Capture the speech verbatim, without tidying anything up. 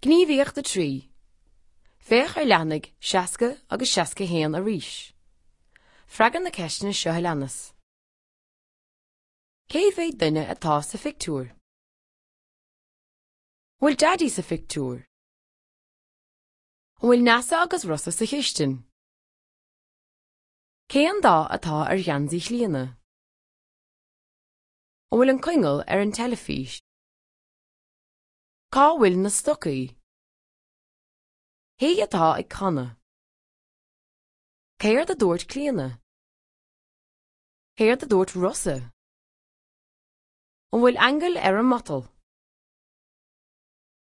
Gníomhaíocht a trí. Féach ar leathanaigh seasca agus seasca a haon arís. Freagair na ceisteanna seo a leanas. Cé mhéad duine atá sa phictiúr? An bhfuil Daidí sa phictiúr? An bhfuil Neasa agus Rossa sa chistin? Cén dath atá ar gheansaí Chlíona? An bhfuil an coinneal ar an teilifís? Cá bhfuil na stocaí? Cé atá ag canadh? Céard a dúirt Clíona? Céard a dúirt Rossa? An bhfuil aingeal ar an matal?